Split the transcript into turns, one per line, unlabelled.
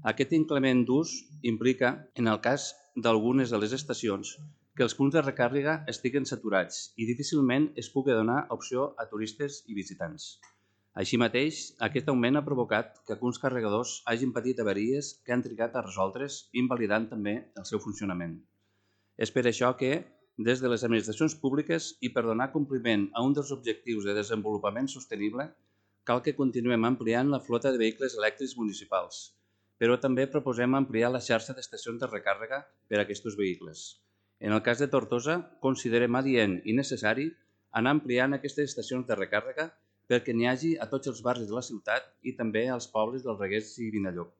Aquest increment d'ús implica, en el cas d'algunes de les estacions, que els punts de recàrrega estiguen saturats i difícilment es pugui donar opció a turistes i visitants. Així mateix, aquest augment ha provocat que alguns carregadors hagin patit avaries que han trigat a resoldre's, invalidant també el seu funcionament. És per això que, des de les administracions públiques i per donar compliment a un dels objectius de desenvolupament sostenible, cal que continuem ampliant la flota de vehicles elèctrics municipals, però també proposem ampliar la xarxa d'estacions de recàrrega per a aquests vehicles. En el cas de Tortosa, considerem adient i necessari anar ampliant aquestes estacions de recàrrega perquè n'hi hagi a tots els barris de la ciutat i també als pobles del Reguers i Vinallop.